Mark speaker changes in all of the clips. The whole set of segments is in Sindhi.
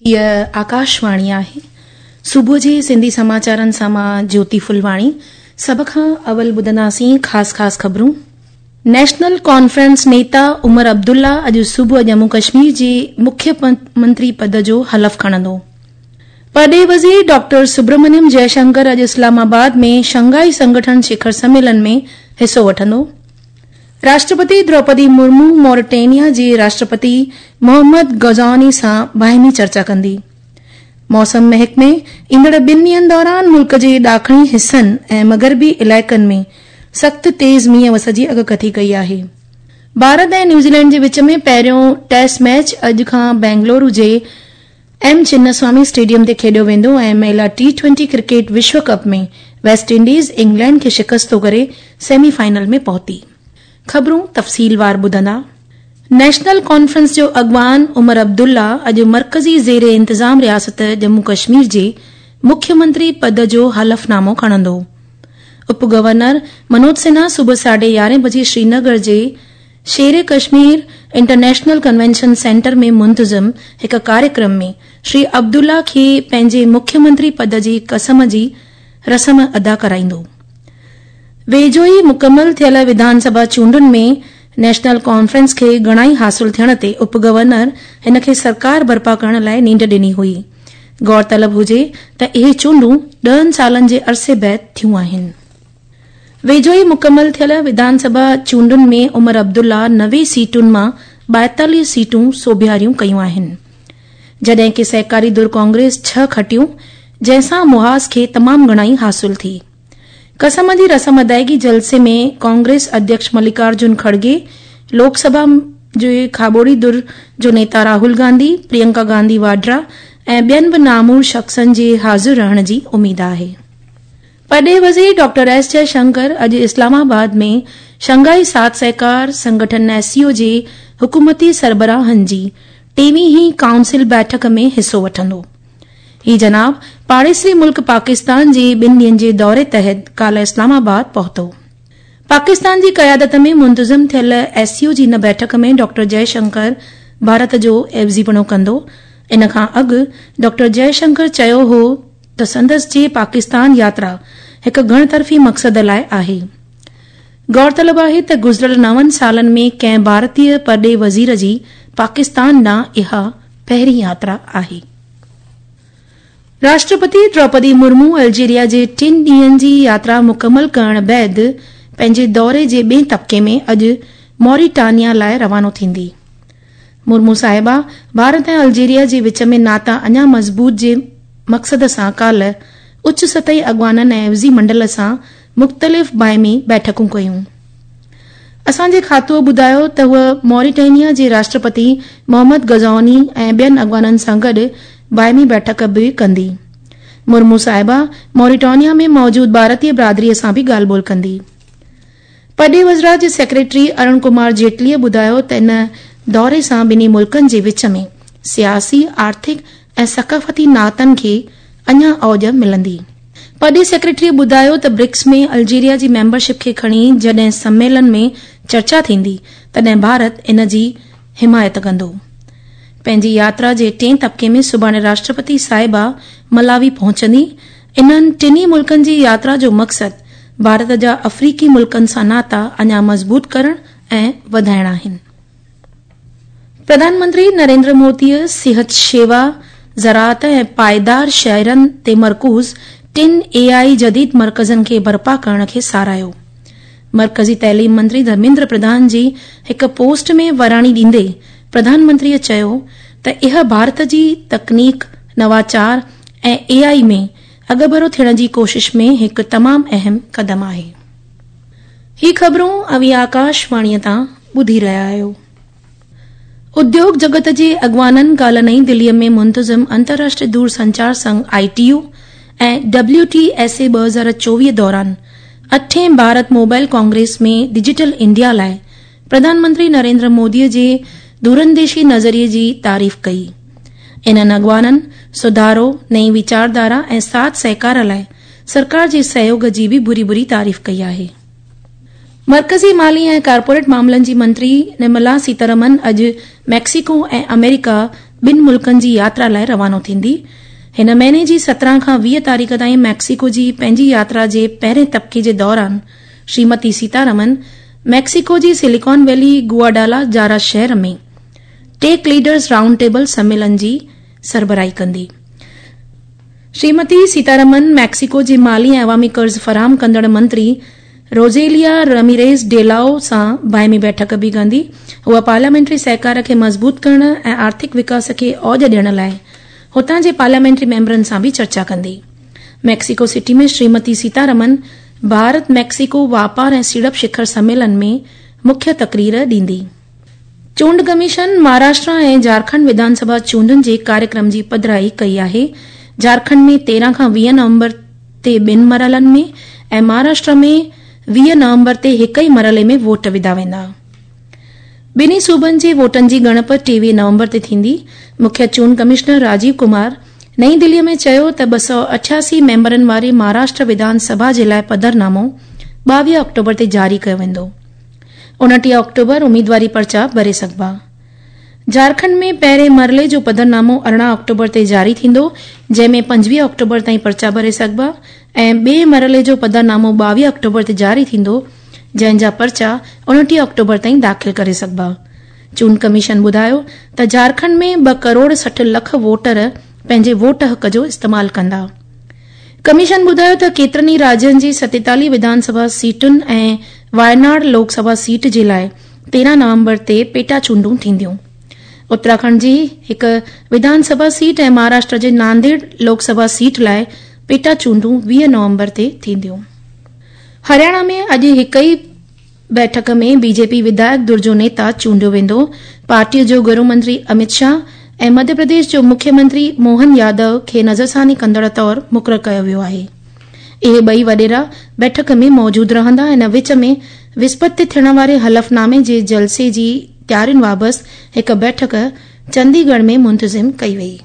Speaker 1: هيء آڪاشواڻي آهي. صبح جي سنڌي سماچارن سان مان جيوتي ڦلواڻي. سڀ کان اول ٻڌنداسين خاص خاص خبرون. نيشنل ڪانفرنس نيتا عمر عبدالله اڄ صبح ڄمون ڪشمير جي مکيه منتري پد جو حلف کڻندو. پرڏيهي وزير ڊاڪٽر سبرمنيم جئه شنڪر اڄ اسلام آباد ۾ شنگهائي سنگٺن شکر سميلن ۾ حصو وٺندو. راشٽرپتي دروپدي مرمو موريٽينيا جي راشٽرپتي محمد غزواني سان باهمي چرچا ڪندي. موسم محڪمي ايندڙ ٻن ڏينهن دوران ملڪ جي ڏاکڻي حصن ۽ مغربي علائقن ۾ سخت تيز مينهن وس جي اڳڪٿي ڪئي آهي. ڀارت ۽ نيوزيلينڊ جي وچ ۾ پهريون ٽيسٽ ميچ اڄ کان بينگلورو جي ايم چناسوامي اسٽيڊيم تي کيڏيو ويندو ۽ مهلا ٽي ٽوئنٽي ڪرڪيٽ وشو ڪپ ۾ ويسٽ انڊيز انگلينڊ کي شڪست ڪري سيمي فائنل ۾ پهتي. خبرون تفصيلوار ٻڌندا. نيشنل ڪانفرنس جو اڳواڻ عمر عبدالله اڄ مرڪزي زير انتظام رياست ڄمون ڪشمير جي مکيه منتري پد جو حلف نامو کڻندو. اپ گورنر منوج سنها صبح ساڍي يارهين بجي سرينگر جي شير ڪشمير انٽرنيشنل ڪنوينشن سينٽر ۾ منتظم هڪ ڪاريڪرم ۾ شري عبدالله کي پنهنجي مکيه منتري پد جي قسم جي رسم ادا ڪرائيندو. ويجهو ئي مڪمل ٿيل وڌان سڀا چونڊن ۾ نيشنل ڪانفرنس کي گهڻائي حاصل ٿيڻ تي اپ گورنر هن کي سرڪار برپا ڪرڻ لاء نينڍ ڏني هئي. غور طلب هجي ته اهي چونڊون ڏهن سالن جي عرصي بعد ٿيون آهن. ويجهو ئي مڪمل ٿيل وڌان سڀا چونڊن ۾ عمر عبدالله 90 سيٽن مان 42 سيٽون سوڀياريون ڪيون آهن. جڏهن ڪي سهڪاري ڌر ڪانگريس ڇهه کٽيون، جنهن سان محاذ کي تمام گهڻائي حاصل ٿي. قسم جي رسم ادائيگي جلسي ۾ ڪانگريس اڌيڪش ملڪارجن کڙگي، لوڪ سڀا جي کاٻوڙي ڌر جو نيتا راهول گانڌي، پرينڪا گانڌي واڊرا ۽ ٻين به نامور شخصن جي حاضر رهڻ جي اميد آهي. پرڏيهي وزير ڊاڪٽر ايس جئه شنڪر اڄ اسلام آباد ۾ شنگهائي ساٿ سهڪار سنگٺن ايس سي او جي حڪومتي سربراهن جي ٽيويهين ڪائونسل بيٺڪ ۾ حصو وٺندو. هي جناب پاڙيسري ملڪ پاڪستان جي ٻن ڏينهن جي دوري تحت ڪالهه اسلام آباد پهتو. پاڪستان جي قيادت ۾ منتظم ٿيل ايس سي او جي ان بيٺڪ ۾ ڊاڪٽر جئه شنڪر ڀارت جو عيوضيپڻو ڪندو. ان کان اڳ ڊاڪٽر جئه شنڪر چيو هو ته سندس جي پاڪستان ياترا هڪ گهڻ طرفي مقصد لاء آهي. غور طلب آهي ته گذريل نون سالن ۾ ڪنهن ڀارتي پرڏيهي وزير جي پاڪستان ڏانهن اها پهرين ياترا آهي. راشٽرپتي دروپدي مرمو الجيريا جي ٽن ڏينهن جي ياترا مڪمل ڪرڻ بعد پنهنجي دوري جي ٻئين طبقي ۾ اڄ موريٽانيا لاء روانو ٿيندي. مرمو صاحبه ڀارت ۽ الجيريا جي وچ ۾ ناتا اڃا مضبوط جي مقصد سان ڪالهه اچ سطحي اڳواڻن ۽ عيوضي منڊل سان مختلف باهمي بيٺڪون ڪيون. اسان جي کاتوء ٻڌايو ته هوء موريٽينيا جي راشٽرپتي محمد غزواني ۽ ٻين اڳواڻن سان گڏ باهمي بيٺڪ به ڪندي. مرمو صاحبه موريٽانيا ۾ موجود ڀارتي برادري سان به ڳالهه ٻولهه ڪندي. پرڏيهي وزارت جي سيڪريٽري ارون ڪمار جيٽليء ٻڌايو ته ان دوري سان ٻنهي ملڪن جي وچ ۾ سياسي، آرٿڪ ۽ ثقافتي ناتن کي اڃا اوڄ ملندي. پرڏيهي سيڪريٽريء ٻڌايو ته برڪس ۾ الجيريا جي ميمبرشپ کي کڻي جڏهن سميلن ۾ چرچا ٿيندي تڏهن ڀارت ان جي حمايت ڪندو. پنهنجي ياترا جي ٽئين طبقي ۾ سڀاڻي راشٽرپتي صاحبه ملاوي پهچندي. انهن ٽنهي ملڪن جي ياترا جو مقصد ڀارت جا آفريقي ملڪن سان ناتا اڃا مضبوط ڪرڻ ۽ وڌائڻ آهن. پرڌان منتري نريندر موديء صحت شيوا، زراعت ۽ پائيدار شهرن تي مرڪوز ٽن اي آء جديد مرڪزن کي برپا ڪرڻ کي ساراهيو. مرڪزي تعليم منتري ڌرميندر پرڌان جي هڪ پوسٽ ۾ وراڻي ڏيندي پرڌان منتريء چيو ته اها ڀارت جي تڪنيڪ، نواچار ۽ اي آء ۾ اڳڀرو ٿيڻ جي ڪوشش ۾ هڪ تمام اهم قدم آهي. هي خبرون اوهين آڪاش واڻيء تان ٻڌي رهيا آهيو. اديوگ جڳت جي اڳواڻن ڪالهه نئين دهليء ۾ منتظم انترراشٽريه دور سنچار Singh, I T U, ۽ W T S A 2024 دوران اٺين Bharat mobile Congress ۾ digital India لاء پرڌان منتري نريندر موديء جي دورانديشي نظريي جي تعريف ڪئي. انهن اڳواڻن سڌارو، نئين ويچارڌارا ۽ ساٿ سهڪار لاء سرڪار جي سهيوڳ جي به ڀري ڀري تعريف ڪئي آهي. مرڪزي مالي ۽ ڪارپوريٽ معاملن جي منتري نرملا سيتارامن اڄ ميڪسيڪو ۽ آمريڪا ٻن ملڪن جي ياترا لاء روانو ٿيندي. هن مهيني جي 17 کان 20 تاريخ تائين ميڪسيڪو جي پنهنجي ياترا جي پهرين طبقي جي دوران شريمتي سيتارمن ميڪسيڪو جي سليڪان ويلي گواڊالا جارا شهر ۾ ٽيڪ ليڊرز رائونڊ ٽيبل سميلن جي سربراهي ڪندي. شريمتي سيتارمن ميڪسيڪو جي مالي ۽ عوامي قرض فراهم ڪندڙ منتري روزيليا رميريز ڊيلاو سان باهمي بيٺڪ به ڪندي. هوء پارليامينٽري سهڪار کي مضبوط ڪرڻ ۽ آرٿڪ وڪاس کي اوڄ ڏيڻ لاء هتان جي پارليامينٽري ميمبرن سان به چرچا ڪندي. Mexico city ۾ Shrimati Sitharaman Bharat Mexico واپار ۽ سيڙپ شکر سميلن ۾ مکيه تقرير ڏيندي. چونڊ ڪميشن مهاراشٽرا ۽ جهارکنڊ وڌان سڀا چونڊن جي ڪاريڪرم جي پڌرائي ڪئي آهي. جهارکنڊ ۾ 13 کان 20 نومبر تي ٻن مرحلن ۾ ۽ مهاراشٽرا ۾ 20 نومبر تي هڪ ئي مرحلي ۾ ووٽ وڌا ويندا. ٻنهي صوبن جي ووٽن جي ڳڻپ 23 نومبر تي ٿيندي. مکيه چونڊ ڪمشنر راجيو ڪمار نئين دهلي ۾ چيو ته 288 ميمبرن واري مهاراشٽر وڌان سڀا جي لاء پڌرنامو 22 آڪٽوبر تي جاري ڪيو ويندو. 29 آڪٽوبر اميدواري پرچا ڀري سگهبا. جهارکنڊ ۾ پهرين مرحلي جو پڌرنامو 18 آڪٽوبر تي جاري ٿيندو، جنهن ۾ 25 آڪٽوبر تائين پرچا ڀري سگهبا ۽ ٻئي مرحلي جو پڌرنامو 22 آڪٽوبر تي جاري ٿيندو، جنهن جا پرچا 29 آڪٽوبر تائين داخل ڪري سگهبا. چونڊ ڪميشن ٻڌايو ته جهارکنڊ ۾ ٻه ڪروڙ 60 لک ووٽر پنهنجي ووٽ حق جو استعمال ڪندا. ڪميشن ٻڌايو ته ڪيترن ئي راجين جي 47 وڌان سڀا سيٽن ۽ وايناڙ لوڪ سڀا سيٽ جي لاء 13 نومبر تي پيٽا چونڊون ٿينديون. اتراکنڊ جي هڪ وڌان سڀا سيٽ ۽ مهاراشٽر جي نانديڙ لوڪ سڀا سيٽ لاء پيٽا چونڊون 20 نومبر تي ٿينديون. هرياڻا ۾ اڄ هڪ ئي بيٺڪ ۾ بي جي پي وڌايڪ ڌر جو نيتا چونڊيو ويندو. پارٽيء جو گهرو منتري امت شاهه ۽ مڌيه پرديش جو مکيه منتري موهن يادو کي نظرثاني ڪندڙ طور مقرر ڪيو ويو آهي. اهي ٻئي وڏيرا بيٺڪ ۾ موجود رهندا. ان وچ ۾ وسپت تي ٿيڻ واري حلف نامي جي جلسي جي تيارين وابست هڪ بيٺڪ چندي ڳڙهه ۾ منتظم ڪئي وئي.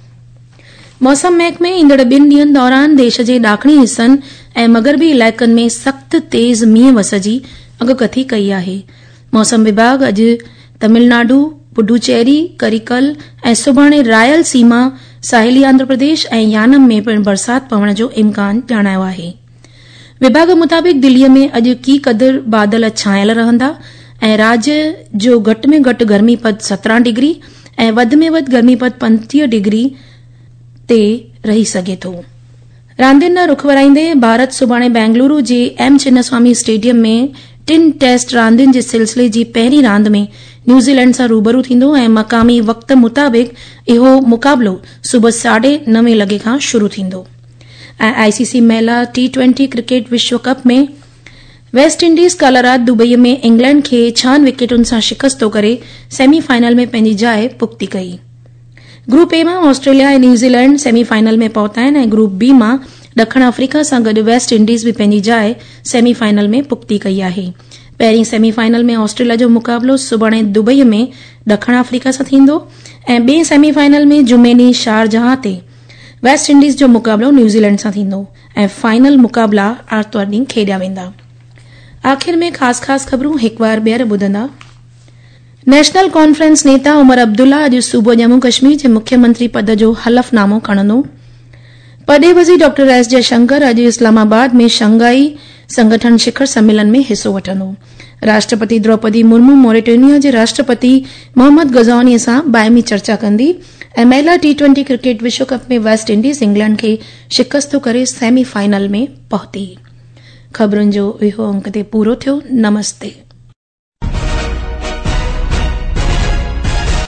Speaker 1: موسم محڪمي ايندڙ ٻن ڏينهن دوران ديش جي ڏاکڻي حصن ۽ مغربي علائقن ۾ سخت تيز مينهن وس جي اڳڪٿي ڪئي آهي. موسم وڀاڳ اڄ تمل ناڊو، پڊوچيري، ڪريڪل ۽ سڀاڻي رائل سيما، ساحلي آنڌرا پرديش ۽ يانم ۾ پڻ برسات پوڻ جو امڪان ڄاڻايو آهي. وڀاڳ مطابق دلي ۾ اڄ ڪي قدر بادل ڇانيل رهندا ۽ راجيه جو گهٽ ۾ گهٽ گرمي پد 17 ڊگري ۽ وڌ ۾ وڌ گرمي پد 35 ڊگري تي رهي سگهي ٿو. راندين ڏانهن رخ ورائيندي ڀارت سڀاڻي بينگلورو جي ايم چناسوامي اسٽيڊيم ۾ ٽن ٽيسٽ راندين جي سلسلي جي پهرين راند ۾ نيوزيلينڊ سان روبرو ٿيندو ۽ مقامي وقت مطابق اهو مقابلو صبح ساڍي نوين لڳي کان شروع ٿيندو. ۽ آء سي سي مهلا ٽي ٽوئنٽي ڪرڪيٽ وشو ڪپ ۾ ويسٽ انڊيز ڪالهه رات دبئي ۾ انگلينڊ کي ڇهن وڪيٽن سان شڪست ڪري سيمي فائنل ۾ پنهنجي جاء پختي ڪئي. گروپ اي مان آسٽريليا ۽ نيوزيلينڊ سيمي فائنل ۾ پهتا آهن ۽ گروپ بي مان ڏکڻ آفريڪا سان گڏ ويسٽ انڊيز به پنهنجي جاء سيمي فائنل ۾ پختي ڪئي آهي. پهرين سيمي فائنل ۾ آسٽريليا جو مقابلو سڀاڻي دبئي ۾ ڏکڻ آفريڪا سان ٿيندو ۽ ٻئي سيمي فائنل ۾ جمعي ڏينهن شارجهان تي ويسٽ انڊيز جو مقابلو نيوزيلينڊ سان ٿيندو ۽ فائنل مقابلا آرتوار ڏينهن کيڏيا ويندا. آخر ۾ خاص خاص خبرون هڪ وار ٻيهر ٻڌندا. نيشنل ڪانفرنس نيتا عمر عبدالله اڄ صوبو ڄمون ڪشمير جي مکيه منتري پد جو حلف نامو کڻندو. پرڏيهي وزير ڊاڪٽر ايس جئه شنڪر اڄ اسلام آباد ۾ شنگهائي سنگٺن شکر سميلن ۾ حصو وٺندو. راشٽرپتي دروپدي مرمو موريٽينيا جي راشٽرپتي محمد غزوني سان باهمي چرچا ڪندي ۽ مهلا ٽي ٽوئنٽي ڪرڪيٽ وشو ڪپ ۾ ويسٽ انڊيز انگلينڊ کي شڪست ڪري سيمي فائنل ۾ پهتي. خبرن جو اهو انڪ تي پورو ٿيو. نمستي.